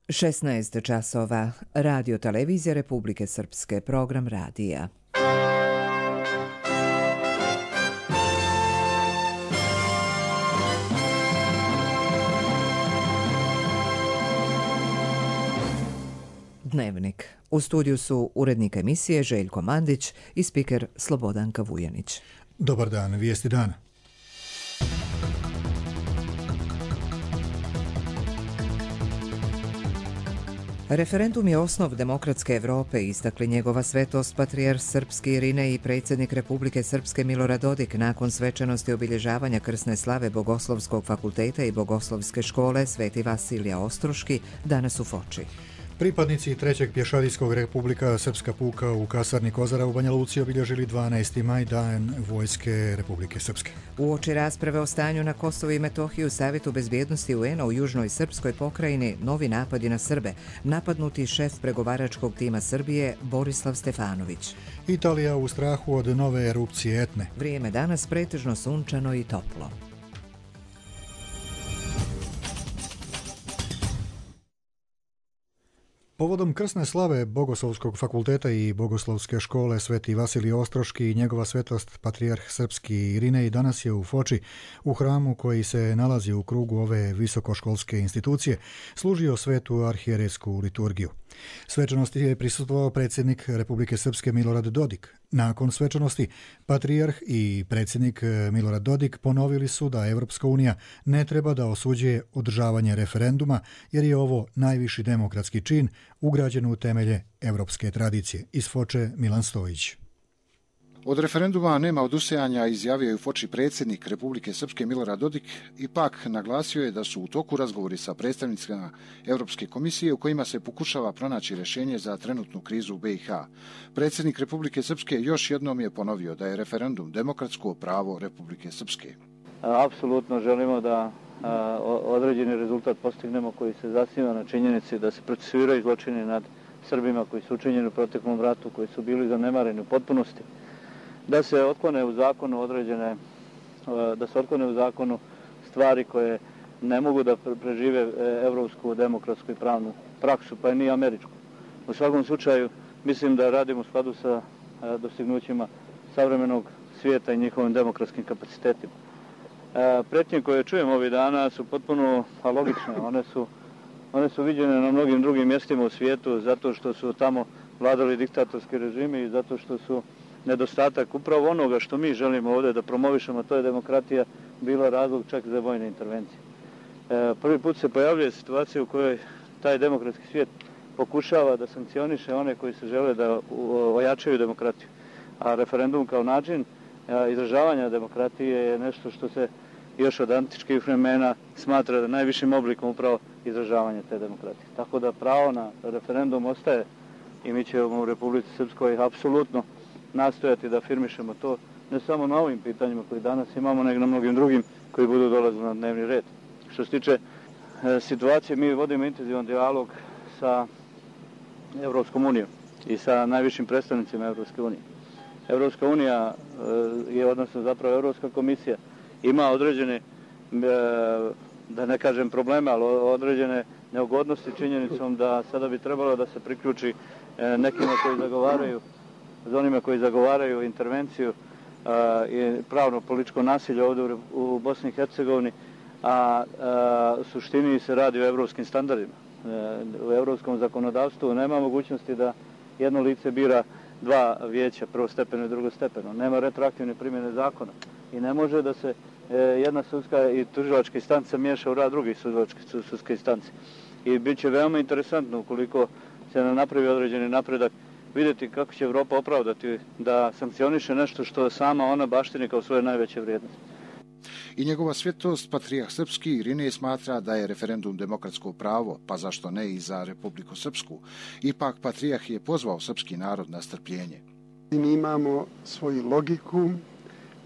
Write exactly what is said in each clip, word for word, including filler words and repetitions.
šesnaest časova. Radio Televizija Republike Srpske. Program radija. Dnevnik. U studiju su urednik emisije Željko Mandić i spiker Slobodanka Vujanić. Dobar dan, vijesti dana. Referendum je osnov demokratske Evrope, istakli njegova svetost patrijarh srpski Irinej i predsjednik Republike Srpske Milorad Dodik nakon svečanosti obilježavanja krsne slave Bogoslovskog fakulteta i Bogoslovske škole Sveti Vasilija Ostroški danas u Foči. Pripadnici trećeg pješadijskog Republika Srpska puka u kasarni Kozara u Banja Luci obilježili dvanaesti maj, dan Vojske Republike Srpske. Uoči rasprave o stanju na Kosovu i Metohiji u Savjetu bezbjednosti U N-a u Južnoj Srpskoj pokrajini novi napadi na Srbe, napadnuti šef pregovaračkog tima Srbije Borislav Stefanović. Italija u strahu od nove erupcije Etne. Vrijeme danas pretežno sunčano i toplo. Povodom krsne slave Bogoslovskog fakulteta i Bogoslovske škole Sveti Vasilij Ostroški i njegova svetost patrijarh srpski Irinej danas je u Foči, u hramu koji se nalazi u krugu ove visokoškolske institucije, služio svetu arhijerejsku liturgiju. Svečanosti je prisustvovao predsjednik Republike Srpske Milorad Dodik. Nakon svečanosti, patrijarh i predsjednik Milorad Dodik ponovili su da Evropska unija ne treba da osuđuje održavanje referenduma, jer je ovo najviši demokratski čin ugrađen u temelje evropske tradicije. Iz Foče Milan Stojić. Od referenduma nema odustajanja, izjavio je u Foči predsjednik Republike Srpske Milorad Dodik, ipak naglasio je da su u toku razgovori sa predstavnicima Europske komisije u kojima se pokušava pronaći rješenje za trenutnu krizu u B i H. Predsjednik Republike Srpske još jednom je ponovio da je referendum demokratsko pravo Republike Srpske. Apsolutno želimo da a, određeni rezultat postignemo koji se zasniva na činjenici da se procesuiraju zločini nad Srbima koji su učinjeni u proteklom ratu, koji su bili zanemareni u potpunosti, da se otklone u zakonu određene, da se otklone u zakonu stvari koje ne mogu da prežive evropsku, demokratsku i pravnu praksu, pa i ni američku. U svakom slučaju, mislim da radimo u skladu sa dostignućima savremenog svijeta i njihovim demokratskim kapacitetima. Pretnje koje čujemo ovih dana su potpuno logične. One su, one su viđene na mnogim drugim mjestima u svijetu zato što su tamo vladali diktatorski režimi i zato što su nedostatak upravo onoga što mi želimo ovdje da promovišemo, to je demokratija, bila razlog čak za vojne intervencije. E, prvi put se pojavljuje situacija u kojoj taj demokratski svijet pokušava da sankcioniše one koji se žele da ojačaju demokratiju. A referendum kao način a, izražavanja demokratije je nešto što se još od antičkih vremena smatra da najvišim oblikom upravo izražavanja te demokratije. Tako da pravo na referendum ostaje i mi ćemo u Republici Srpskoj apsolutno nastojati da afirmišemo to ne samo na ovim pitanjima koji danas imamo, nego na mnogim drugim koji budu dolazili na dnevni red. Što se tiče e, situacije, mi vodimo intenzivan dijalog sa Evropskom unijom i sa najvišim predstavnicima Evropske unije. Evropska unija e, je, odnosno zapravo Evropska komisija, ima određene, e, da ne kažem probleme, ali određene neugodnosti činjenicom da sada bi trebalo da se priključi e, nekima koji zagovaraju za onima koji zagovaraju intervenciju a, i pravno političko nasilje ovdje u, u Bosni i Hercegovini, a, a u suštini se radi o evropskim standardima. E, u evropskom zakonodavstvu nema mogućnosti da jedno lice bira dva vijeća, prvostepeno i drugostepeno. Nema retroaktivne primjene zakona i ne može da se e, jedna sudska i tužilačka instanca miješa u rad drugih sudske instance. I bit će veoma interesantno ukoliko se ne napravi određeni napredak, vidjeti kako će Evropa opravdati da sankcioniše nešto što sama ona baštini kao svoje najveće vrijednosti. I njegova svetost patrijarh srpski Irinej smatra da je referendum demokratsko pravo, pa zašto ne i za Republiku Srpsku. Ipak patrijarh je pozvao srpski narod na strpljenje. Mi imamo svoju logiku,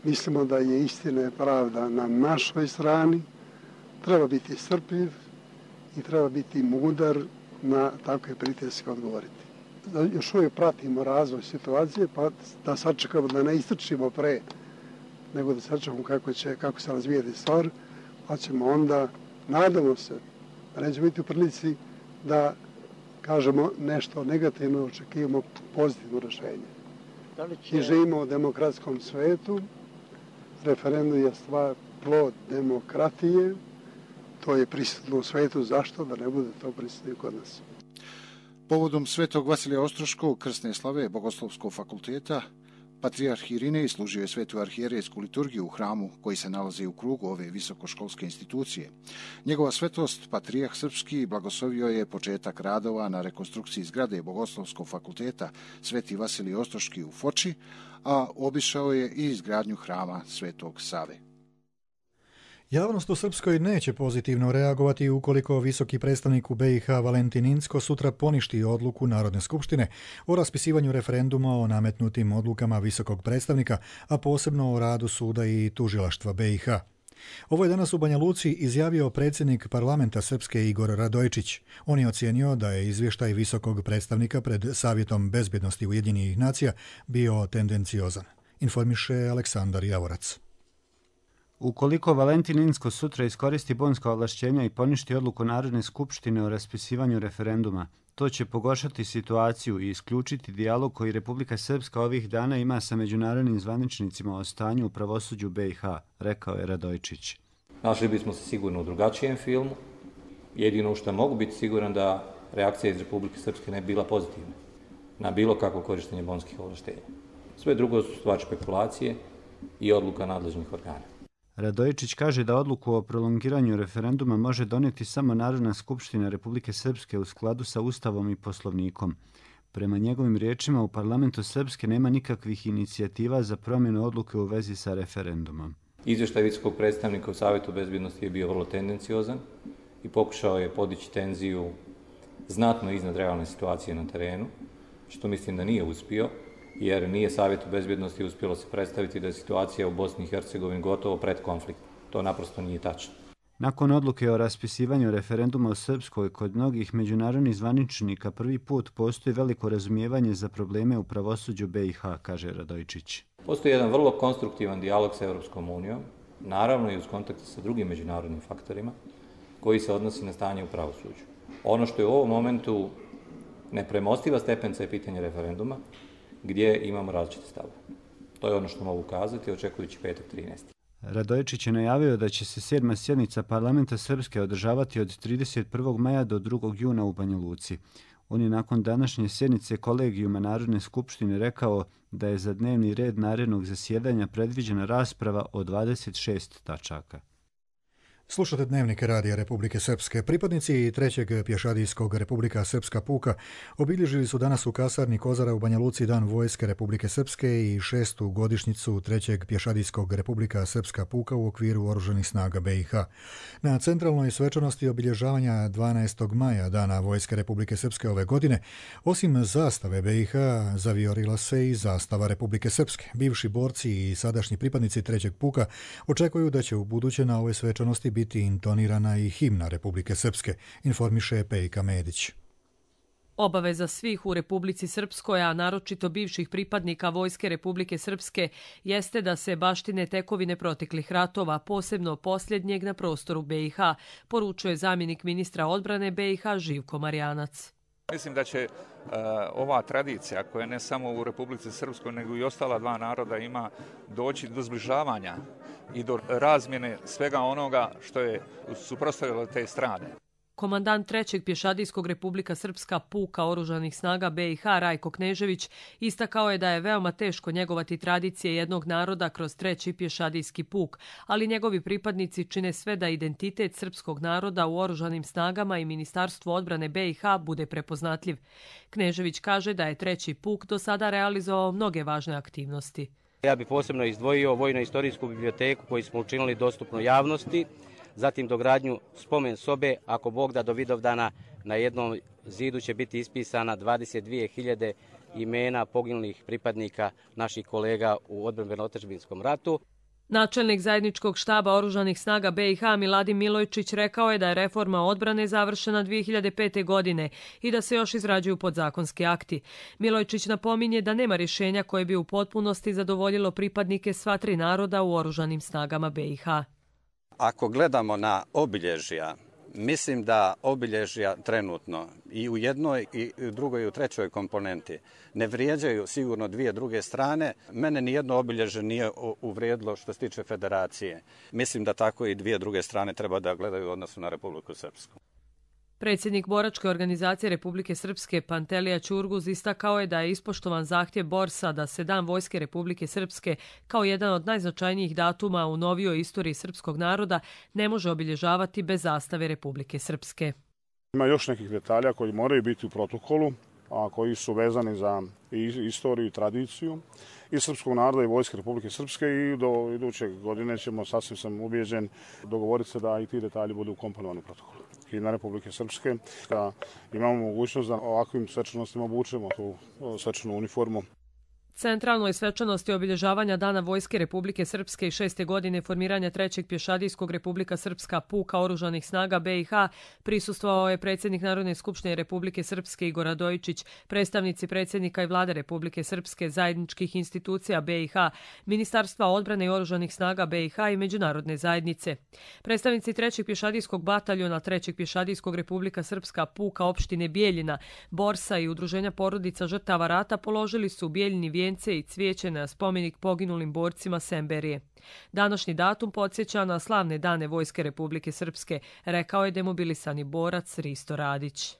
mislimo da je istina i pravda na našoj strani, treba biti strpljiv i treba biti mudar na takve pritiske odgovoriti. Još uvijek pratimo razvoj situacije, pa da sačekamo da ne istrčimo pre, nego da sačekamo kako će, kako se razvijeti stvar, pa ćemo onda, nadamo se, da neće biti u prilici da kažemo nešto negativno, očekivamo pozitivno rješenje. Da li će... I živimo u demokratskom svetu, referendum je stvar plod demokratije, to je prisutno u svetu, zašto da ne bude to prisutno kod nas? Povodom Svetog Vasilija Ostroškog krsne slave Bogoslovskog fakulteta, patrijarh Irinej služio je svetu arhijerejsku liturgiju u hramu koji se nalazi u krugu ove visokoškolske institucije. Njegova svetost, patrijarh srpski, blagoslovio je početak radova na rekonstrukciji zgrade Bogoslovskog fakulteta Sveti Vasilij Ostroški u Foči, a obišao je i izgradnju hrama Svetog Save. Javnost u Srpskoj neće pozitivno reagovati ukoliko visoki predstavnik u B i H Valentin Incko sutra poništi odluku Narodne skupštine o raspisivanju referenduma o nametnutim odlukama visokog predstavnika, a posebno o radu suda i tužilaštva B i H. Ovo je danas u Banja Luci izjavio predsjednik parlamenta Srpske Igor Radojičić. On je ocijenio da je izvještaj visokog predstavnika pred Savjetom bezbjednosti Ujedinjenih nacija bio tendenciozan. Informiše Aleksandar Javorac. Ukoliko Valentin Incko sutra iskoristi bonska ovlašćenja i poništi odluku Narodne skupštine o raspisivanju referenduma, to će pogoršati situaciju i isključiti dijalog koji Republika Srpska ovih dana ima sa međunarodnim zvaničnicima o stanju u pravosuđu B i H, rekao je Radojičić. Našli bismo se sigurno u drugačijem filmu. Jedino što mogu biti siguran da reakcija iz Republike Srpske ne bi bila pozitivna na bilo kakvo korištenje bonskih ovlaštenja. Sve drugo su stvar špekulacije i odluka nadležnih organa. Radojičić kaže da odluku o prolongiranju referenduma može donijeti samo Narodna skupština Republike Srpske u skladu sa Ustavom i Poslovnikom. Prema njegovim riječima, u parlamentu Srpske nema nikakvih inicijativa za promjenu odluke u vezi sa referendumom. Izvještaj visokog predstavnika u Savjetu bezbjednosti je bio vrlo tendenciozan i pokušao je podići tenziju znatno iznad realne situacije na terenu, što mislim da nije uspio, jer nije Savjetu bezbjednosti uspjelo se predstaviti da je situacija u Bosni i Hercegovini gotovo pred konflikt. To naprosto nije tačno. Nakon odluke o raspisivanju referenduma u Srpskoj, kod mnogih međunarodnih zvaničnika prvi put postoji veliko razumijevanje za probleme u pravosuđu B i H, kaže Radojičić. Postoji jedan vrlo konstruktivan dijalog sa Europskom unijom, naravno i uz kontakt sa drugim međunarodnim faktorima, koji se odnosi na stanje u pravosuđu. Ono što je u ovom momentu nepremostiva stepenca je pitanje referenduma, gdje imamo različite stavove. To je ono što mogu kazati, očekujući petak trinaesti. Radojičić je najavio da će se sedma sjednica parlamenta Srpske održavati od trideset prvog maja do drugog juna u Banja Luci. On je nakon današnje sjednice kolegijuma Narodne skupštine rekao da je za dnevni red narednog zasjedanja predviđena rasprava o dvadeset šest tačaka. Slušate Dnevnik Radija Republike Srpske. Pripadnici trećeg pješadijskog Republika Srpska puka obilježili su danas u kasarni Kozara u Banja Luci Dan vojske Republike Srpske i šestu godišnjicu trećeg pješadijskog Republika Srpska puka u okviru Oružanih snaga B i H. Na centralnoj svečanosti obilježavanja dvanaestog maja Dana vojske Republike Srpske ove godine, osim zastave B i H, zaviorila se i zastava Republike Srpske. Bivši borci i sadašnji pripadnici trećeg puka očekuju da će u buduće na ovoj svečanosti biti intonirana i himna Republike Srpske, informiše Pejka Medić. Obaveza svih u Republici Srpskoj, a naročito bivših pripadnika Vojske Republike Srpske, jeste da se baštine tekovine proteklih ratova, posebno posljednjeg na prostoru B i H, poručuje zamjenik ministra odbrane B i H Živko Marjanac. Mislim da će uh, ova tradicija, koja ne samo u Republici Srpskoj, nego i ostala dva naroda ima, doći do zbližavanja i do razmjene svega onoga što je suprotstavilo te strane. Komandant trećeg pješadijskog Republika Srpska puka Oružanih snaga B i H Rajko Knežević istakao je da je veoma teško njegovati tradicije jednog naroda kroz treći pješadijski puk, ali njegovi pripadnici čine sve da identitet srpskog naroda u Oružanim snagama i Ministarstvu odbrane B i H bude prepoznatljiv. Knežević kaže da je treći puk do sada realizovao mnoge važne aktivnosti. Ja bih posebno izdvojio vojno-istorijsku biblioteku koju smo učinili dostupno javnosti, zatim dogradnju spomen sobe, ako Bog da do Vidovdana na jednom zidu će biti ispisana dvadeset dvije hiljade imena poginulih pripadnika naših kolega u odbrambeno-otadžbinskom ratu. Načelnik zajedničkog štaba Oružanih snaga B i H Miladin Milojčić rekao je da je reforma odbrane završena dvije hiljade pete. godine i da se još izrađuju podzakonski akti. Milojčić napominje da nema rješenja koje bi u potpunosti zadovoljilo pripadnike sva tri naroda u Oružanim snagama B i H. Ako gledamo na obilježja Mislim da obilježja trenutno i u jednoj i u drugoj i u trećoj komponenti ne vrijeđaju sigurno dvije druge strane. Mene nijedno obilježje nije uvrijedilo što se tiče federacije. Mislim da tako i dvije druge strane treba da gledaju u odnosu na Republiku Srpsku. Predsjednik boračke organizacije Republike Srpske Pantelija Ćurguz istakao je da je ispoštovan zahtjev borsa da se Dan Vojske Republike Srpske kao jedan od najznačajnijih datuma u novijoj istoriji srpskog naroda ne može obilježavati bez zastave Republike Srpske. Ima još nekih detalja koji moraju biti u protokolu, a koji su vezani za istoriju i tradiciju i srpskog naroda i Vojske Republike Srpske i do iduće godine ćemo, sasvim sam ubijeđen, dogovoriti se da i ti detalji budu ukomponovani u protokolu. Himna Republike Srpske, da imamo mogućnost da ovakvim svečanostima obučemo tu svečanu uniformu. Centralnoj svečanosti obilježavanja Dana Vojske Republike Srpske i šeste godine formiranja trećeg pješadijskog Republika Srpska puka oružanih snaga B i H prisustvovao je predsjednik Narodne skupštine Republike Srpske Igor Radojičić, predstavnici predsjednika i vlade Republike Srpske, zajedničkih institucija B i H, Ministarstva odbrane i oružanih snaga B i H i međunarodne zajednice. Predstavnici trećeg pješadijskog bataljona trećeg pješadijskog Republika Srpska puka opštine Bijeljina, Borsa i udruženja porodica žrtava rata položili su u Bijeljini vijence i cvijeće na spomenik poginulim borcima Semberije. Današnji datum podsjeća na slavne dane Vojske Republike Srpske, rekao je demobilisani borac Risto Radić.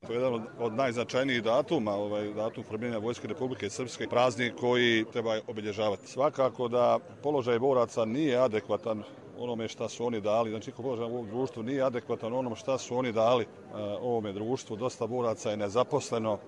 To je jedan od najznačajnijih datuma, ovaj datum formiranja Vojske Republike Srpske, praznik koji treba obilježavati. Svakako da položaj boraca nije adekvatan onome šta su oni dali, znači položaj ovog društva nije adekvatan onom šta su oni dali uh, ovome društvu. Dosta boraca je nezaposleno, uh,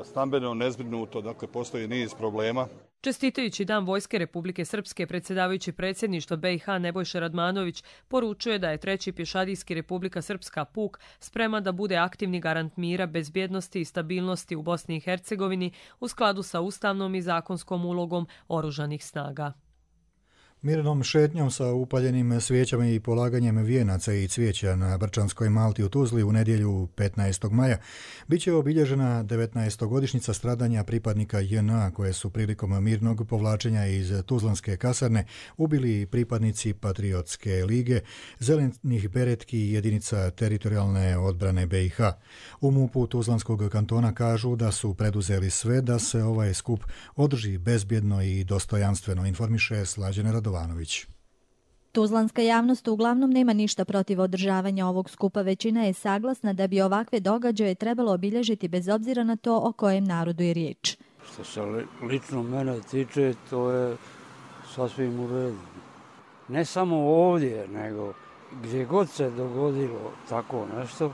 stambeno nezbrinuto, dakle postoji niz problema. Čestitajući Dan Vojske Republike Srpske, predsjedavajući predsjedništva B i H Nebojša Radmanović poručuje da je treći pješadijski Republika Srpska puk spreman da bude aktivni garant mira, bezbjednosti i stabilnosti u Bosni i Hercegovini u skladu sa ustavnom i zakonskom ulogom oružanih snaga. Mirnom šetnjom sa upaljenim svijećama i polaganjem vijenaca i cvijeća na Brčanskoj Malti u Tuzli u nedjelju petnaestog maja biće obilježena devetnaestogodišnjica stradanja pripadnika J N A koje su prilikom mirnog povlačenja iz Tuzlanske kasarne ubili pripadnici Patriotske lige, zelenih beretki i jedinica teritorijalne odbrane B i H. U MUP-u Tuzlanskog kantona kažu da su preduzeli sve da se ovaj skup održi bezbjedno i dostojanstveno, informiše Slađana Radovanović. Tuzlanska javnost uglavnom nema ništa protiv održavanja ovog skupa. Većina je saglasna da bi ovakve događaje trebalo obilježiti bez obzira na to o kojem narodu je riječ. Što se lično mene tiče, to je sasvim u redu. Ne samo ovdje, nego gdje god se dogodilo tako nešto,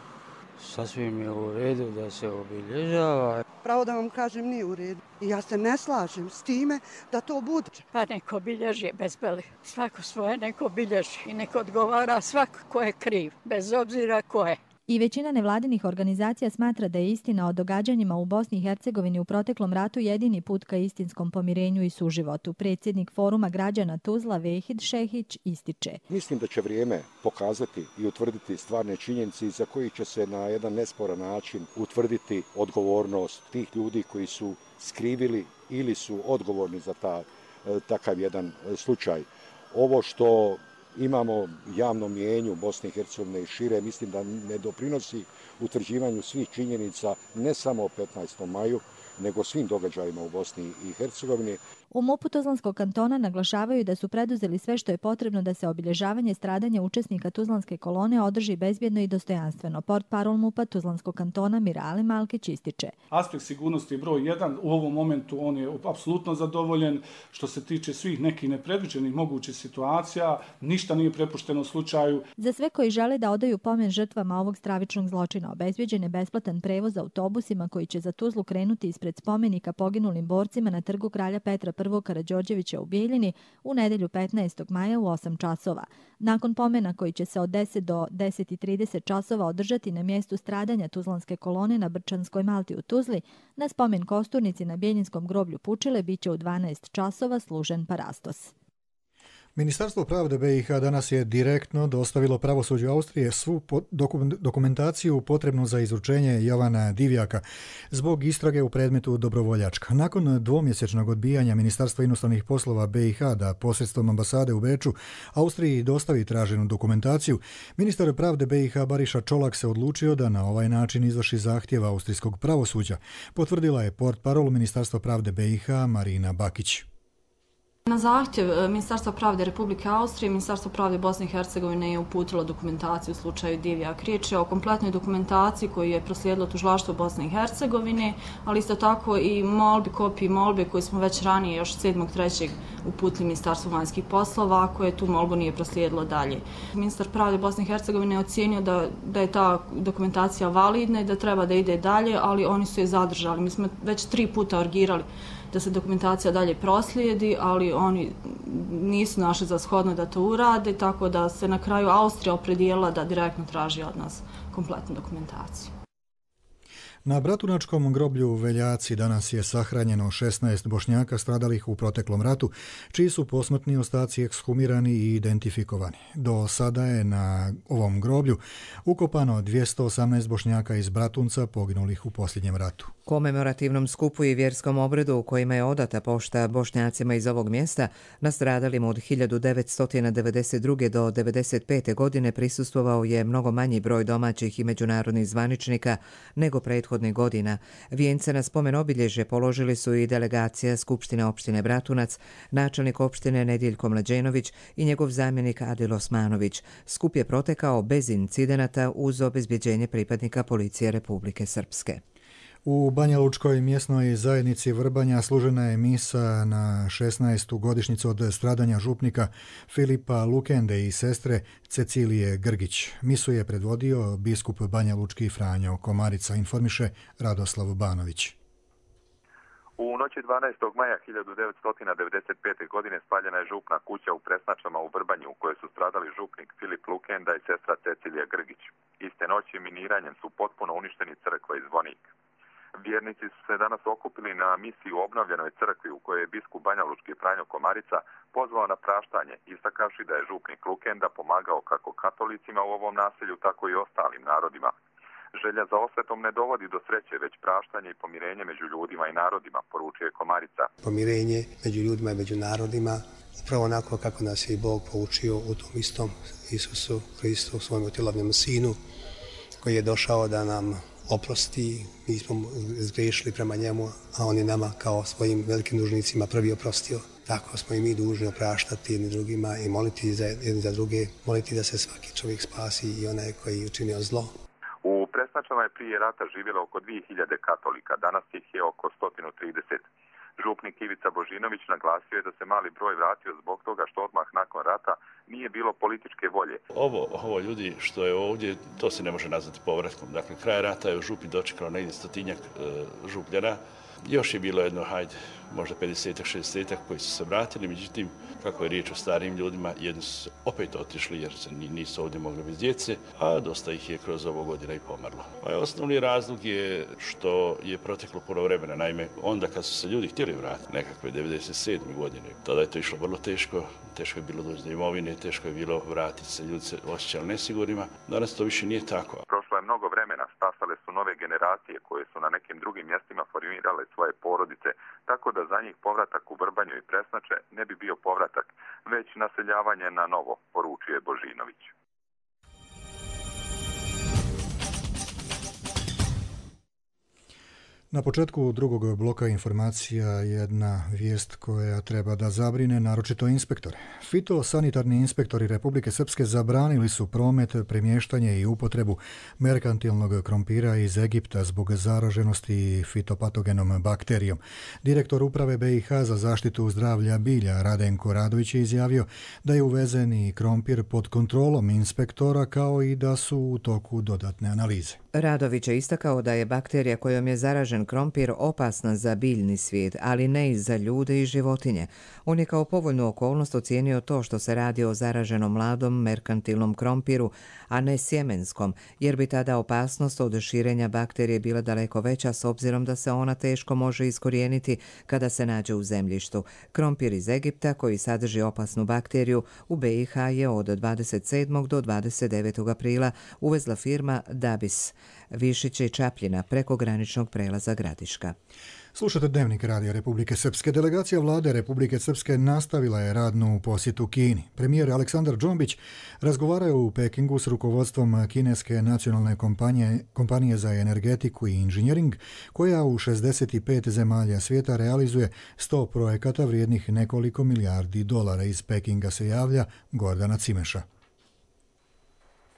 sasvim je u redu da se obilježava. Pravo da vam kažem, nije u redu. I ja se ne slažem s time da to bude. Pa neko bilježi bez beli. Svako svoje neko bilježi i neko odgovara svako ko je kriv, bez obzira ko je. I većina nevladinih organizacija smatra da je istina o događanjima u Bosni i Hercegovini u proteklom ratu jedini put ka istinskom pomirenju i suživotu. Predsjednik Foruma građana Tuzla Vehid Šehić ističe. Mislim da će vrijeme pokazati i utvrditi stvarne činjenice za koji će se na jedan nesporan način utvrditi odgovornost tih ljudi koji su skrivili ili su odgovorni za ta, takav jedan slučaj. Ovo što imamo javno mijenju u Bosni i Hercegovine i šire, mislim da ne doprinosi utvrđivanju svih činjenica ne samo o petnaestom maju, nego svim događajima u Bosni i Hercegovini. U MUP-u Tuzlanskog kantona naglašavaju da su preduzeli sve što je potrebno da se obilježavanje stradanja učesnika Tuzlanske kolone održi bezbjedno i dostojanstveno. Portparol MUP-a Tuzlanskog kantona Mirali Malkić ističe. Aspekt sigurnosti je broj jedan. U ovom momentu on je apsolutno zadovoljen. Što se tiče svih nekih nepredviđenih mogućih situacija, ništa nije prepušteno slučaju. Za sve koji žele da odaju pomen žrtvama ovog stravičnog zločina, obezbjeđen je besplatan prevoz autobusima koji će za Tuzlu krenuti ispred spomenika poginulim borcima na trgu Kralja Petra prvog Karađorđevića u Bijeljini u nedjelju petnaestog maja u osam časova. Nakon pomena koji će se od deset do deset i trideset časova održati na mjestu stradanja Tuzlanske kolone na Brčanskoj Malti u Tuzli, na spomen kosturnici na Bijeljinskom groblju Pučile biće u dvanaest časova služen parastos. Ministarstvo pravde B i H danas je direktno dostavilo pravosuđu Austrije svu dokumentaciju potrebnu za izručenje Jovana Divjaka zbog istrage u predmetu Dobrovoljačka. Nakon dvomjesečnog odbijanja Ministarstva inostranih poslova B i H da posredstvom ambasade u Beču Austriji dostavi traženu dokumentaciju, ministar pravde B i H Bariša Čolak se odlučio da na ovaj način izvrši zahtjev austrijskog pravosuđa, potvrdila je portparol Ministarstva pravde B i H Marina Bakić. Na zahtjev Ministarstva pravde Republike Austrije, Ministarstvo pravde Bosne i Hercegovine je uputilo dokumentaciju u slučaju Divjak. Riječ je o kompletnoj dokumentaciji koju je proslijedilo tužilaštvo Bosne i Hercegovine, ali isto tako i molbi, kopiji molbe koju smo već ranije, još sedmog trećeg uputili Ministarstvu vanjskih poslova, koje tu molbu nije proslijedilo dalje. Ministar pravde Bosne i Hercegovine je ocijenio da, da je ta dokumentacija validna i da treba da ide dalje, ali oni su je zadržali. Mi smo već tri puta urgirali da se dokumentacija dalje proslijedi, ali oni nisu našli za shodno da to urade, tako da se na kraju Austrija opredijelila da direktno traži od nas kompletnu dokumentaciju. Na Bratunačkom groblju u Veljaci danas je sahranjeno šesnaest Bošnjaka stradalih u proteklom ratu, čiji su posmrtni ostaci ekshumirani i identifikovani. Do sada je na ovom groblju ukopano dvjesto osamnaest Bošnjaka iz Bratunca poginulih u posljednjem ratu. Komemorativnom skupu i vjerskom obredu u kojima je odata pošta Bošnjacima iz ovog mjesta nastradalim od hiljadu devetsto devedeset druge do devedeset pete godine prisustvovao je mnogo manji broj domaćih i međunarodnih zvaničnika nego prethodnih godina. Vijence na spomen obilježje položili su i delegacija Skupštine opštine Bratunac, načelnik opštine Nediljko Mlađenović i njegov zamjenik Adil Osmanović. Skup je protekao bez incidenata uz obezbjeđenje pripadnika policije Republike Srpske. U Banja Lučkoj mjesnoj zajednici Vrbanja služena je misa na šesnaestu godišnjicu od stradanja župnika Filipa Lukende i sestre Cecilije Grgić. Misu je predvodio biskup Banja Lučki Franjo Komarica, informiše Radoslav Banović. U noći dvanaestog maja hiljadu devetsto devedeset pete. godine spaljena je župna kuća u Presnačama u Vrbanju u kojoj su stradali župnik Filip Lukenda i sestra Cecilija Grgić. Iste noći miniranjem su potpuno uništeni crkva i zvonik. Vjernici su se danas okupili na misiji u obnovljenoj crkvi u kojoj je biskup Banja Lučki Franjo Komarica pozvao na praštanje, istakavši da je župnik Lukenda pomagao kako katolicima u ovom naselju, tako i ostalim narodima. Želja za osvetom ne dovodi do sreće, već praštanje i pomirenje među ljudima i narodima, poručuje Komarica. Pomirenje među ljudima i među narodima, upravo onako kako nas je i Bog poučio u tom istom Isusu Hristu, svojom utilovnom sinu, koji je došao da nam oprosti. Mi smo zgrešili prema njemu, a on je nama kao svojim velikim dužnicima prvi oprostio. Tako smo i mi dužni opraštati jedni drugima i moliti za jedni za druge, moliti da se svaki čovjek spasi i onaj koji je učinio zlo. U Presnačama je prije rata živjelo oko dvije hiljade katolika, danas ih je oko sto trideset. Župnik Ivica Božinović naglasio je da se mali broj vratio zbog toga što odmah nakon rata nije bilo političke volje. Ovo, ovo ljudi što je ovdje, to se ne može nazvati povratkom. Dakle, kraj rata je u župi dočekalo negdje stotinjak e, župljana. Još je bilo jedno, hajde, možda pedesetak, šezdesetak koji su se vratili, međutim, kako je riječ o starim ljudima, jedni su opet otišli jer se nisu ovdje mogli bez djece, a dosta ih je kroz ovo godina i pomrlo. A osnovni razlog je što je proteklo puno vremena. Naime, onda kad su se ljudi htjeli vratiti, nekakve devedeset sedme. godine, tada je to išlo vrlo teško, teško je bilo doći do imovine, teško je bilo vratiti se, ljudi se osjećali nesigurnima. Danas to više nije tako. Prošlo je mnogo vremena, stasale su nove generacije koje su na nekim drugim mjestima formirale svoje porodice, tako da za njih povratak u Vrbanju i Presnače ne bi bio povratak, već naseljavanje na novo, poručuje Božinović. Na početku drugog bloka informacija jedna vijest koja treba da zabrine naročito inspektore. Fitosanitarni inspektori Republike Srpske zabranili su promet, premještanje i upotrebu merkantilnog krompira iz Egipta zbog zaraženosti fitopatogenom bakterijom. Direktor uprave B i H za zaštitu zdravlja bilja Radenko Radović je izjavio da je uvezeni krompir pod kontrolom inspektora kao i da su u toku dodatne analize. Radović je istakao da je bakterija kojom je zaražen zaražen krompir opasan za biljni svijet, ali ne i za ljude i životinje. On je kao povoljnu okolnost ocijenio to što se radi o zaraženom mladom merkantilnom krompiru, a ne sjemenskom, jer bi tada opasnost od širenja bakterije bila daleko veća s obzirom da se ona teško može iskorijeniti kada se nađe u zemljištu. Krompir iz Egipta, koji sadrži opasnu bakteriju, u B i H je od dvadeset sedmog do dvadeset devetog aprila uvezla firma Dabis, Višiće i Čapljina preko graničnog prelaza Gradiška. Slušate Dnevnik Radija Republike Srpske. Delegacija vlade Republike Srpske nastavila je radnu posjetu Kini. Premijer Aleksandar Džombić razgovarao je u Pekingu s rukovodstvom kineske nacionalne kompanije, kompanije za energetiku i inženjering, koja u šezdeset pet zemalja svijeta realizuje sto projekata vrijednih nekoliko milijardi dolara. Iz Pekinga se javlja Gordana Cimeša.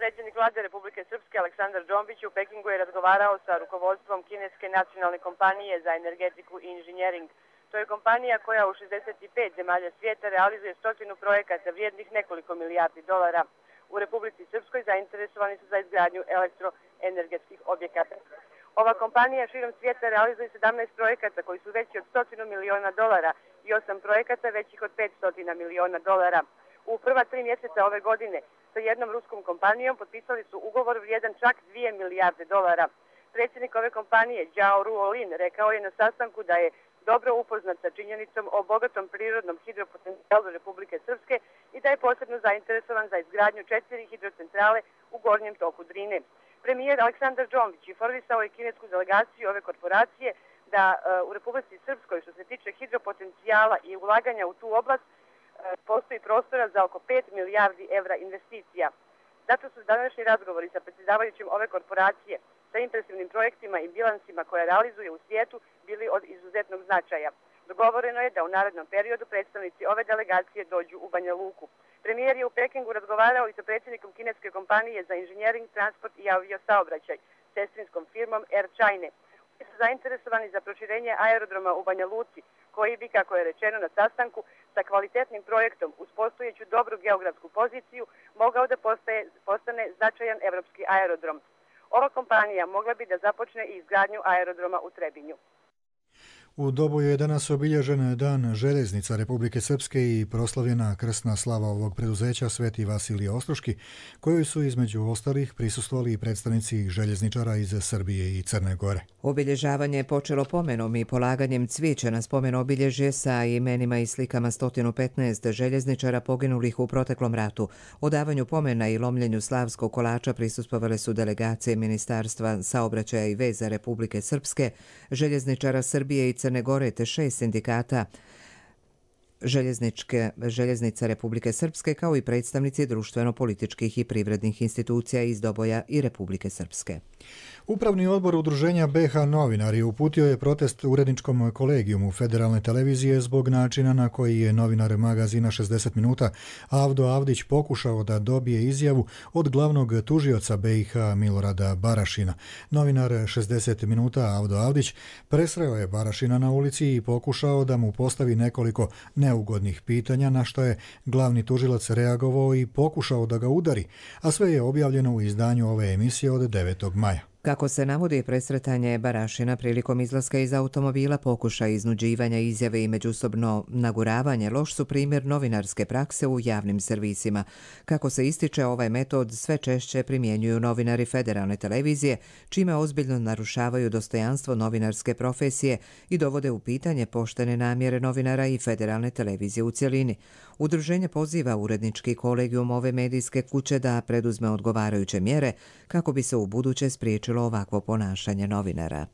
Predsjednik vlade Republike Srpske Aleksandar Džombić u Pekingu je razgovarao sa rukovodstvom kineske nacionalne kompanije za energetiku i inženjering. To je kompanija koja u šezdeset pet zemalja svijeta realizuje stotinu projekata vrijednih nekoliko milijardi dolara. U Republici Srpskoj zainteresovani su za izgradnju elektroenergetskih objekata. Ova kompanija širom svijeta realizuje sedamnaest projekata koji su veći od stotinu miliona dolara i osam projekata većih od petsto miliona dolara. U prva tri mjeseca ove godine sa jednom ruskom kompanijom potpisali su ugovor vrijedan čak dvije milijarde dolara. Predsjednik ove kompanije, Zhao Ruolin, rekao je na sastanku da je dobro upoznat sa činjenicom o bogatom prirodnom hidropotencijalu Republike Srpske i da je posebno zainteresovan za izgradnju četiri hidrocentrale u gornjem toku Drine. Premijer Aleksandar Džombić informisao je kinesku delegaciju ove korporacije da uh, u Republici Srpskoj, što se tiče hidropotencijala i ulaganja u tu oblast, postoji prostora za oko pet milijardi evra investicija. Zato su današnji razgovori sa predsjedavajućim ove korporacije sa impresivnim projektima i bilansima koje realizuje u svijetu bili od izuzetnog značaja. Dogovoreno je da u narednom periodu predstavnici ove delegacije dođu u Banja Luku. Premijer je u Pekingu razgovarao i sa predsjednikom kineske kompanije za inženjering, transport i aviosaobraćaj, sestrinskom firmom Air China. Oni su zainteresovani za proširenje aerodroma u Banja Luci, koji bi, kako je rečeno na sastanku, sa kvalitetnim projektom uz postojeću dobru geografsku poziciju mogao da postaje, postane značajan evropski aerodrom. Ova kompanija mogla bi da započne i izgradnju aerodroma u Trebinju. U Doboju je danas obilježen Dan željeznica Republike Srpske i proslavljena krsna slava ovog preduzeća Sveti Vasilije Ostroški, kojoj su između ostalih prisustvovali i predstavnici željezničara iz Srbije i Crne Gore. Obilježavanje je počelo pomenom i polaganjem cvijeća na spomen obilježje sa imenima i slikama sto petnaest željezničara poginulih u proteklom ratu. Odavanju pomena i lomljenju slavskog kolača prisustvovale su delegacije Ministarstva saobraćaja i veza Republike Srpske, željezničara Srbije i Crne Gore te šest sindikata željezničke željeznica Republike Srpske, kao i predstavnici društveno-političkih i privrednih institucija iz Doboja i Republike Srpske. Upravni odbor udruženja B H Novinari uputio je protest uredničkom kolegijumu Federalne televizije zbog načina na koji je novinar magazina šezdeset minuta Avdo Avdić pokušao da dobije izjavu od glavnog tužioca B i H Milorada Barašina. Novinar šezdeset minuta Avdo Avdić presreo je Barašina na ulici i pokušao da mu postavi nekoliko neugodnih pitanja, na što je glavni tužilac reagovao i pokušao da ga udari, a sve je objavljeno u izdanju ove emisije od devetog maja. Kako se navodi, presretanje Barašina prilikom izlaska iz automobila, pokušaj iznuđivanja izjave i međusobno naguravanje loš su primjer novinarske prakse u javnim servisima. Kako se ističe, ovaj metod sve češće primjenjuju novinari Federalne televizije, čime ozbiljno narušavaju dostojanstvo novinarske profesije i dovode u pitanje poštene namjere novinara i Federalne televizije u cjelini. Udruženje poziva urednički kolegijum ove medijske kuće da preduzme odgovarajuće mjere kako bi se u buduće spriječilo ovakvo ponašanje novinara.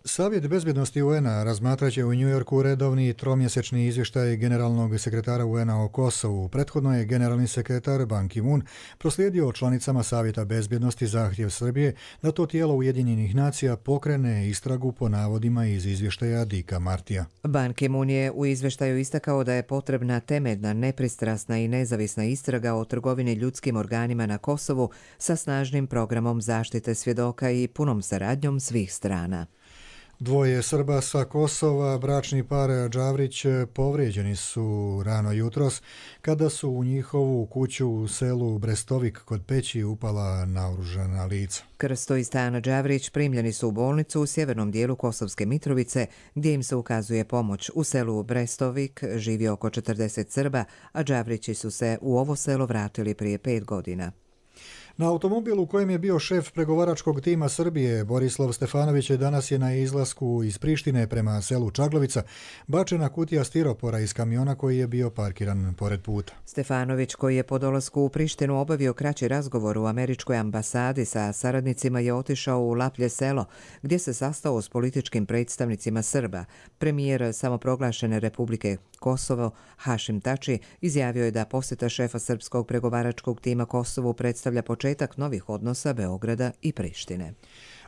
Savjet bezbjednosti U N-a razmatraće u Njujorku redovni tromjesečni izvještaj generalnog sekretara U N-a o Kosovu. Prethodno je generalni sekretar Ban Ki-moon proslijedio članicama Savjeta bezbjednosti zahtjev Srbije da to tijelo Ujedinjenih nacija pokrene istragu po navodima iz izvještaja Dika Martija. Ban Ki-moon je u izvještaju istakao da je potrebna temeljna, nepristrasna i nezavisna istraga o trgovini ljudskim organima na Kosovu sa snažnim programom zaštite svjedoka i punom saradnjom svih strana. Dvoje Srba sa Kosova, bračni par Đavrić, povrijeđeni su rano jutros kada su u njihovu kuću u selu Brestovik kod Peći upala naoružana lica. Krsto i Stana Đavrić primljeni su u bolnicu u sjevernom dijelu Kosovske Mitrovice gdje im se ukazuje pomoć. U selu Brestovik živi oko četrdeset Srba, a Đavrići su se u ovo selo vratili prije pet godina. Na automobilu u kojem je bio šef pregovaračkog tima Srbije, Borislav Stefanović, danas je na izlasku iz Prištine prema selu Čaglovica bačena kutija stiropora iz kamiona koji je bio parkiran pored puta. Stefanović, koji je po dolasku u Prištinu obavio kraći razgovor u američkoj ambasadi sa saradnicima, je otišao u Laplje selo, gdje se sastao s političkim predstavnicima Srba. Premijer samoproglašene Republike Kosovo, Hašim Tači, izjavio je da posjeta šefa srpskog pregovaračkog tima Kosovu predstavlja početak novih odnosa Beograda i Prištine.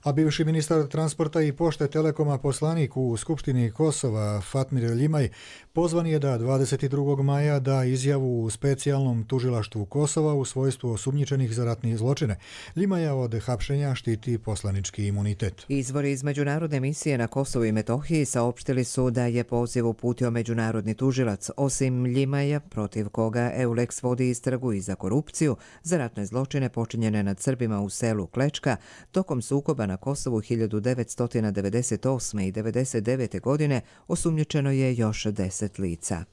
A bivši ministar transporta i pošte Telekoma poslanik u Skupštini Kosova Fatmir Ljimaj pozvan je da dvadeset drugog maja da izjavu u specijalnom tužilaštvu Kosova u svojstvu osumnjičenih za ratne zločine. Ljimaja od hapšenja štiti poslanički imunitet. Izvori iz međunarodne misije na Kosovu i Metohiji saopštili su da je poziv uputio međunarodni tužilac, osim Ljimaja, protiv koga Eulex vodi istragu i za korupciju, za ratne zločine počinjene nad Srbima u selu Klečka tokom sukoba na Kosovu hiljadu devetsto devedeset osme i devedeset devete. godine osumnjičeno je još deset lica.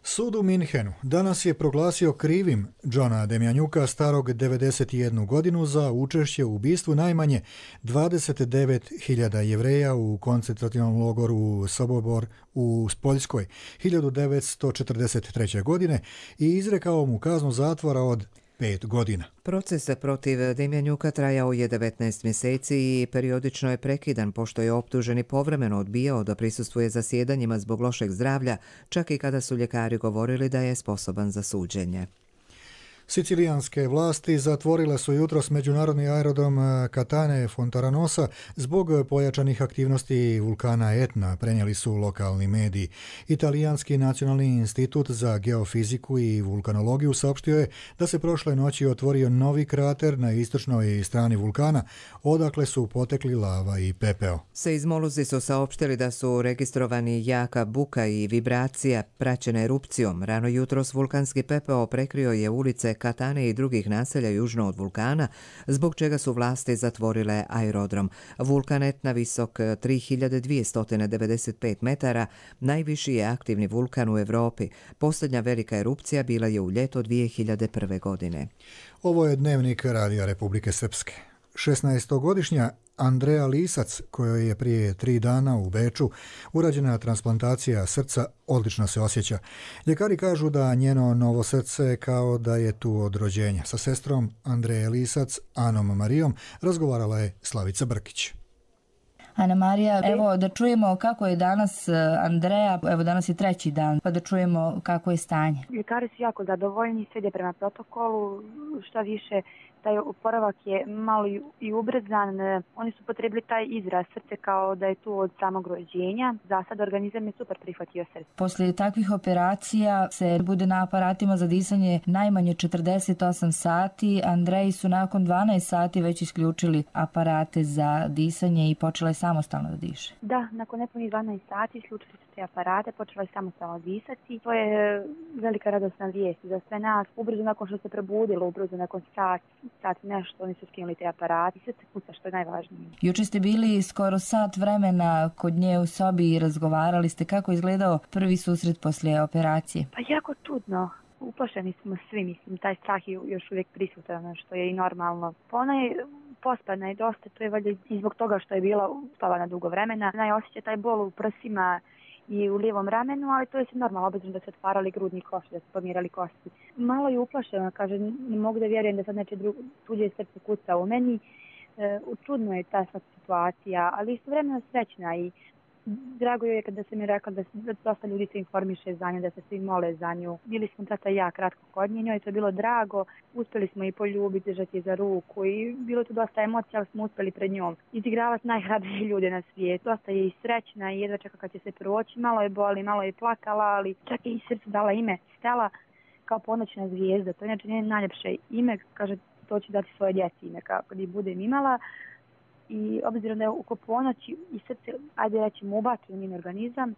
Sud u Minhenu danas je proglasio krivim Džona Demjanjuka, starog devedeset jednu godinu, za učešće u ubistvu najmanje dvadeset devet hiljada Jevreja u koncentrativnom logoru Sobobor u Poljskoj hiljadu devetsto četrdeset treće. godine i izrekao mu kaznu zatvora od pet godina. Proces protiv Demjanjuka trajao je devetnaest mjeseci i periodično je prekidan, pošto je optuženi povremeno odbijao da prisustvuje zasjedanjima zbog lošeg zdravlja, čak i kada su ljekari govorili da je sposoban za suđenje. Sicilijanske vlasti zatvorile su jutros međunarodni aerodrom Catane Fontaranosa zbog pojačanih aktivnosti vulkana Etna, prenijeli su lokalni mediji. Italijanski nacionalni institut za geofiziku i vulkanologiju saopštio je da se prošle noći otvorio novi krater na istočnoj strani vulkana, odakle su potekli lava i pepeo. Seizmolozi su saopštili da su registrovani jaka buka i vibracija praćena erupcijom. Rano jutros vulkanski pepeo prekrio je ulice Katane i drugih naselja južno od vulkana, zbog čega su vlasti zatvorile aerodrom. Vulkan Etna, visok tri hiljade dvjesto devedeset pet metara, najviši je aktivni vulkan u Evropi. Posljednja velika erupcija bila je u ljeto dvije hiljade prve. godine. Ovo je dnevnik Radija Republike Srpske. šesnaestogodišnja Andreja Lisac, kojoj je prije tri dana u Beču urađena transplantacija srca, odlično se osjeća. Ljekari kažu da njeno novo srce kao da je tu od rođenja. Sa sestrom Andreje Lisac, Anom Marijom, razgovarala je Slavica Brkić. Ana Marija, evo da čujemo kako je danas Andreja, evo danas je treći dan, pa da čujemo kako je stanje. Ljekari su jako zadovoljni, sve ide prema protokolu, šta više, taj oporavak je malo i ubrzan. Oni su potrebili taj izraz srce kao da je tu od samog rođenja. Za sad organizam je super prihvatio srce. Poslije takvih operacija se bude na aparatima za disanje najmanje četrdeset osam sati. Andreji su nakon dvanaest sati već isključili aparate za disanje i počela je samostalno da diše. Da, nakon nepunih dvanaest sati isključili su te aparate, počela je samostalno disati. To je velika radosna vijest za sve nas. Ubrzo nakon što se probudilo, ubrzo nakon sat, sat nešto, oni su skinuli te aparate i srce kuca, što je najvažnije. Juče ste bili skoro sat vremena kod nje u sobi i razgovarali ste. Kako je izgledao prvi susret poslije operacije? Pa jako čudno. Uplašeni smo svi, mislim, taj strah je još uvijek prisutan, što je i normalno. Pa ona je pospana i dosta, to je valjda i zbog toga što je bila spavana dugo vremena. Ona je osjeća taj bol u prsima i u lijevom ramenu, ali to je se normalno, obzirom da se otvarali grudni košti, da se pomirali kosti. Malo je uplašena, kaže, ne mogu da vjerujem da sad neče tuđe srce kuca u meni. E, čudno je ta situacija, ali istovremeno srećna i drago je kada se mi rekla da, da dosta ljudi se informiše za nju, da se svi mole za nju. Bili smo tata i ja kratko kod nje, njoj to je bilo drago, uspjeli smo i poljubiti, držati je za ruku i bilo tu dosta emocija, ali smo uspjeli pred njom izigravati najhrabrije ljude na svijetu. Dosta je i srećna i jedva čeka kad će se proći, malo je boli, malo je plakala, ali čak je i srcu dala ime Stela kao ponoćna zvijezda. To je inače njeno najljepše ime, kaže to će dati svoje djeci ime kad ih budem imala. i obzirom da je oko ponoći i srce, ajde rećemo, ubačen u njen organizam,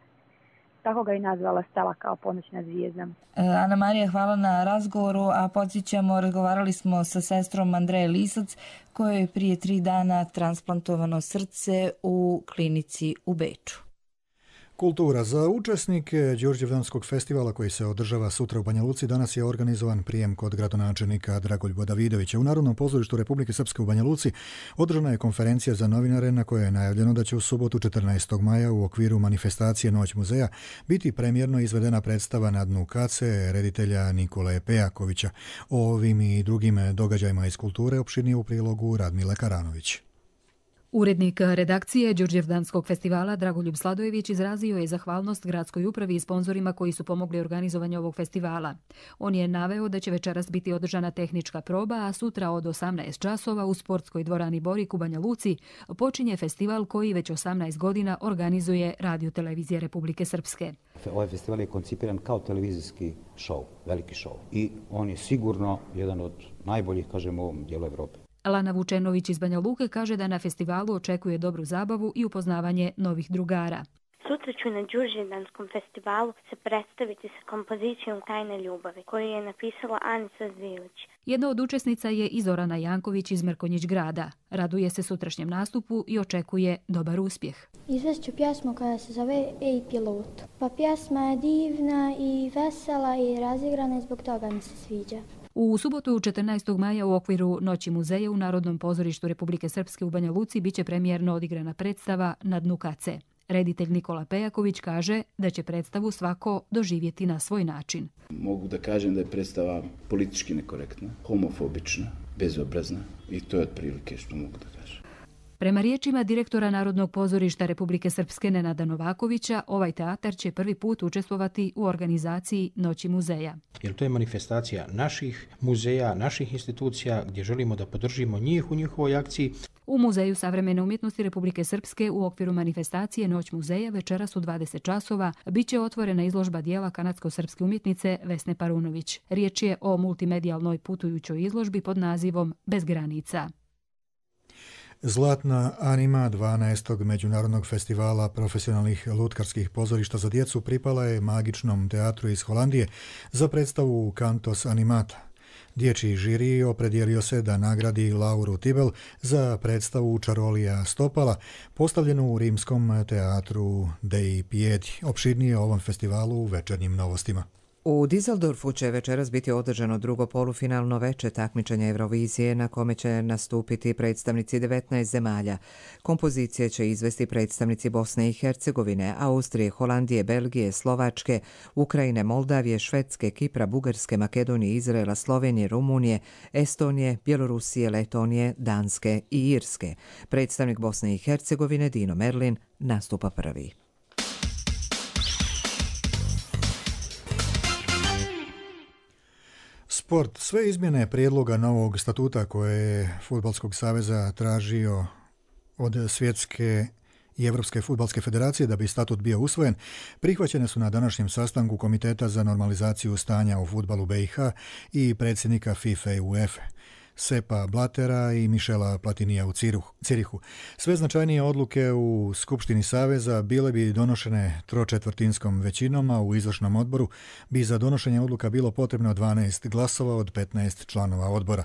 tako ga i nazvala Stela kao ponoćna zvijezda. Ana Marija, hvala na razgovoru, a podsjećamo, razgovarali smo sa sestrom Andreje Lisac, kojoj je prije tri dana transplantovano srce u klinici u Beču. Kultura. Za učesnike Đurđevdanskog festivala koji se održava sutra u Banja Luci danas je organizovan prijem kod gradonačelnika Dragoljuba Davidovića. U Narodnom pozorištu Republike Srpske u Banja Luci održana je konferencija za novinare na kojoj je najavljeno da će u subotu četrnaestog maja u okviru manifestacije Noć muzeja biti premijerno izvedena predstava Na dnu kace reditelja Nikole Pejakovića. O ovim i drugim događajima iz kulture opširnije u prilogu Radmile Karanović. Urednik redakcije Đurđevdanskog festivala Dragoljub Sladojević izrazio je zahvalnost gradskoj upravi i sponzorima koji su pomogli organizovanju ovog festivala. On je naveo da će večeras biti održana tehnička proba, a sutra od osamnaest časova u sportskoj dvorani Borik u Banja Luci počinje festival koji već osamnaest godina organizuje Radio Televizija Republike Srpske. Ovaj festival je koncipiran kao televizijski šou, veliki šou. I on je sigurno jedan od najboljih, kažemo, u ovom dijelu Evrope. Lana Vučenović iz Banja Luke kaže da na festivalu očekuje dobru zabavu i upoznavanje novih drugara. Sutra ću na Đurđevdanskom festivalu se predstaviti sa kompozicijom Tajne ljubavi, koju je napisala Anica Zvilić. Jedna od učesnica je i Zorana Janković iz Mrkonjić grada. Raduje se sutrašnjem nastupu i očekuje dobar uspjeh. Izvešću pjesmu koja se zove Ej pilot. Pa pjesma je divna i vesela i razigrana i zbog toga mi se sviđa. U subotu četrnaestog maja u okviru Noći muzeja u Narodnom pozorištu Republike Srpske u Banja Luci biće premijerno odigrana predstava Na dnu kace. Reditelj Nikola Pejaković kaže da će predstavu svako doživjeti na svoj način. Mogu da kažem da je predstava politički nekorektna, homofobična, bezobrazna i to je otprilike što mogu da kažem. Prema riječima direktora Narodnog pozorišta Republike Srpske Nenada Novakovića, ovaj teatar će prvi put učestvovati u organizaciji Noći muzeja. Jer to je manifestacija naših muzeja, naših institucija gdje želimo da podržimo njih u njihovoj akciji. U Muzeju savremene umjetnosti Republike Srpske u okviru manifestacije Noć muzeja večeras u dvadeset časova biće otvorena izložba dijela kanadsko-srpske umjetnice Vesne Parunović. Riječ je o multimedijalnoj putujućoj izložbi pod nazivom Bez granica. Zlatna anima dvanaestog međunarodnog festivala profesionalnih lutkarskih pozorišta za djecu pripala je Magičnom teatru iz Holandije za predstavu Cantos Animata. Dječji žiri opredijelio se da nagradi Lauru Tibel za predstavu Čarolija Stopala, postavljenu u rimskom teatru Dei Piedi. Opširnije o ovom festivalu u Večernjim novostima. U Düsseldorfu će večeras biti održano drugo polufinalno veče takmičenja Eurovizije na kome će nastupiti predstavnici devetnaest zemalja. Kompozicije će izvesti predstavnici Bosne i Hercegovine, Austrije, Holandije, Belgije, Slovačke, Ukrajine, Moldavije, Švedske, Kipra, Bugarske, Makedonije, Izraela, Slovenije, Rumunije, Estonije, Bjelorusije, Letonije, Danske i Irske. Predstavnik Bosne i Hercegovine Dino Merlin nastupa prvi. Sport. Sve izmjene prijedloga novog statuta koje je Fudbalskog saveza tražio od Svjetske i Evropske fudbalske federacije da bi statut bio usvojen, prihvaćene su na današnjem sastanku Komiteta za normalizaciju stanja u fudbalu B i H i predsjednika FIFA i UEFA, Sepa Blatera i Mišela Platinija u Cirihu. Sve značajnije odluke u Skupštini Saveza bile bi donošene tročetvrtinskom većinom, a u izvršnom odboru bi za donošenje odluka bilo potrebno dvanaest glasova od petnaest članova odbora.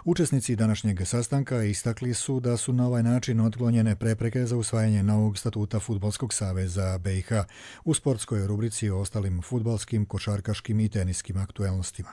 Učesnici današnjeg sastanka istakli su da su na ovaj način otklonjene prepreke za usvajanje novog statuta Fudbalskog saveza B i H u sportskoj rubrici o ostalim fudbalskim, košarkaškim i teniskim aktuelnostima.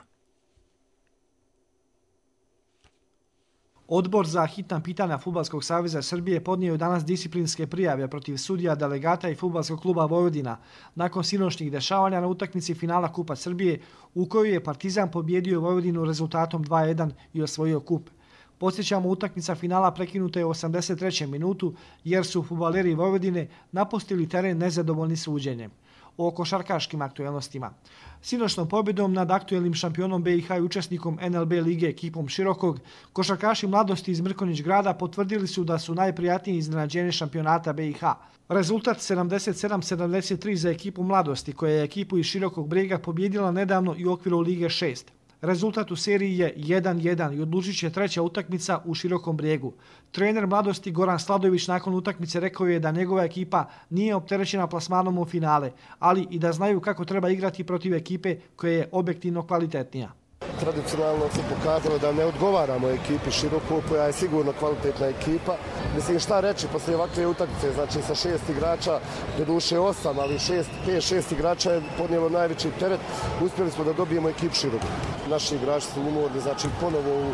Odbor za hitna pitanja Fudbalskog saveza Srbije podnio je danas disciplinske prijave protiv sudija, delegata i Fudbalskog kluba Vojvodina nakon sinoćnih dešavanja na utakmici finala Kupa Srbije u kojoj je Partizan pobjedio Vojvodinu rezultatom dva jedan i osvojio kup. Podsjećamo, utakmica finala prekinuta je u osamdeset trećem minutu jer su fudbaleri Vojvodine napustili teren nezadovoljni suđenjem. O košarkaškim aktuelnostima. Sinoćnom pobjedom nad aktuelnim šampionom B i H i učesnikom N L B lige ekipom Širokog, košarkaši mladosti iz Mrkonjić grada potvrdili su da su najprijatniji iznenađenje šampionata B i H. Rezultat sedamdeset sedam sedamdeset tri za ekipu mladosti, koja je ekipu iz Širokog Brega pobjedila nedavno i u okviru Lige šest. Rezultat u seriji je jedan jedan i odlučit će treća utakmica u Širokom Brijegu. Trener Mladosti Goran Sladojević nakon utakmice rekao je da njegova ekipa nije opterećena plasmanom u finale, ali i da znaju kako treba igrati protiv ekipe koja je objektivno kvalitetnija. Tradicionalno se pokazalo da ne odgovaramo ekipi Široko, koja je sigurno kvalitetna ekipa. Mislim, šta reći poslije ovakve utakmice, znači sa šest igrača, do duše osam, ali šest, pet, šest igrača je podnijelo najveći teret. Uspjeli smo da dobijemo ekipu Široko. Naši igrači su umorni, znači ponovo u,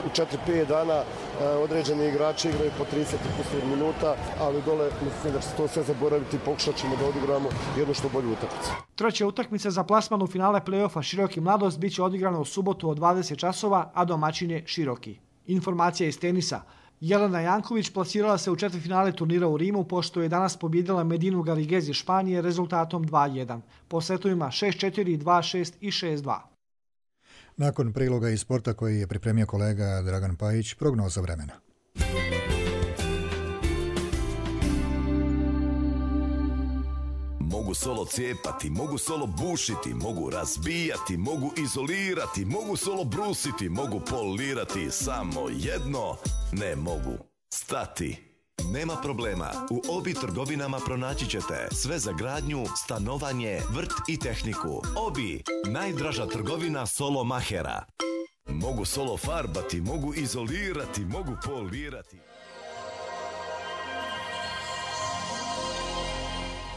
u četiri pet dana e, određeni igrači igraju po trideset minuta, ali dole mislim da će to sve zaboraviti i pokušat ćemo da odigramo jednu što bolju utakmicu. Treća utakmica za plasman u finale play-offa Široki Mladost biće odigrana u subotu od dvadeset časova, a domaćin je Široki. Informacija iz tenisa. Jelena Janković plasirala se u četvrtfinale turnira u Rimu, pošto je danas pobjedila Medinu Garrigues iz Španije rezultatom dva jedan. Po setovima šest četiri, dva šest i šest dva. Nakon priloga iz sporta koji je pripremio kolega Dragan Pajić, prognoza vremena. Mogu solo cijepati, mogu solo bušiti, mogu razbijati, mogu izolirati, mogu solo brusiti, mogu polirati, samo jedno ne mogu stati. Nema problema, u Obi trgovinama pronaći ćete sve za gradnju, stanovanje, vrt i tehniku. Obi, najdraža trgovina solo mahera. Mogu solo farbati, mogu izolirati, mogu polirati.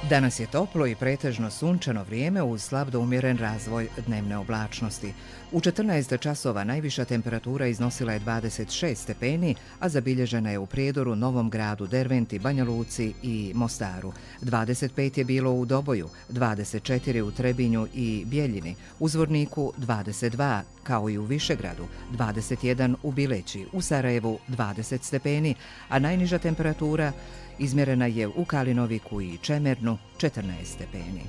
Danas je toplo i pretežno sunčano vrijeme uz slab do umjeren razvoj dnevne oblačnosti. U četrnaest časova najviša temperatura iznosila je dvadeset šest stepeni, a zabilježena je u Prijedoru, Novom Gradu, Derventi, Banja Luci i Mostaru. dvadeset pet je bilo u Doboju, dvadeset četiri u Trebinju i Bjeljini, u Zvorniku dvadeset dva, kao i u Višegradu, dvadeset jedan u Bileći, u Sarajevu dvadeset stepeni, a najniža temperatura izmjerena je u Kalinoviku i Čemernu, četrnaest stepeni.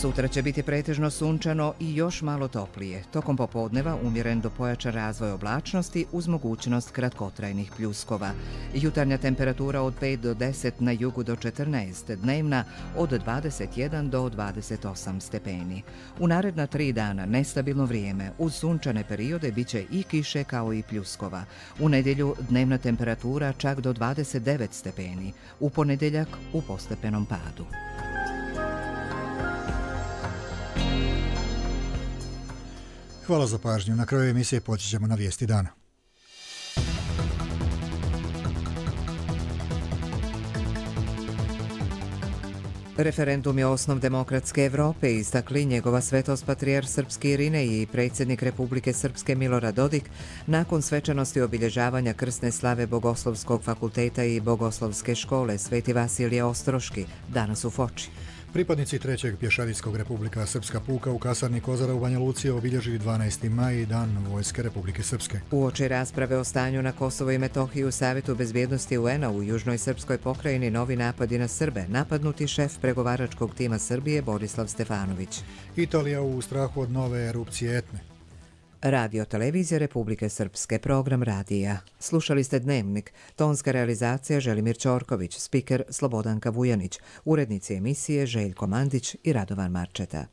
Sutra će biti pretežno sunčano i još malo toplije. Tokom popodneva umjeren do pojačan razvoj oblačnosti uz mogućnost kratkotrajnih pljuskova. Jutarnja temperatura od pet do deset, na jugu do četrnaest, dnevna od dvadeset jedan do dvadeset osam stepeni. U naredna tri dana nestabilno vrijeme, uz sunčane periode bit će i kiše kao i pljuskova. U nedjelju dnevna temperatura čak do dvadeset devet stepeni, u ponedjeljak u postepenom padu. Hvala za pažnju. Na kraju emisije poći ćemo na vijesti dana. Referendum je osnov demokratske Evrope, istakli njegova svetost patrijarh srpski Irinej i predsjednik Republike Srpske Milorad Dodik nakon svečanosti obilježavanja krsne slave Bogoslovskog fakulteta i Bogoslovske škole Sveti Vasilije Ostroški danas u Foči. Pripadnici trećeg pješadijskog Republika Srpska puka u kasarni Kozara u Banja Luci obilježili dvanaesti maj, dan Vojske Republike Srpske. Uoči rasprave o stanju na Kosovo i Metohiji u Savjetu bezbjednosti U N-a u Južnoj Srpskoj pokrajini novi napadi na Srbe, napadnuti šef pregovaračkog tima Srbije Borislav Stefanović. Italija u strahu od nove erupcije Etne. Radio televizija Republike Srpske, program radija. Slušali ste Dnevnik, tonska realizacija Želimir Ćorković, spiker Slobodanka Vujanić, urednici emisije Željko Mandić i Radovan Marčeta.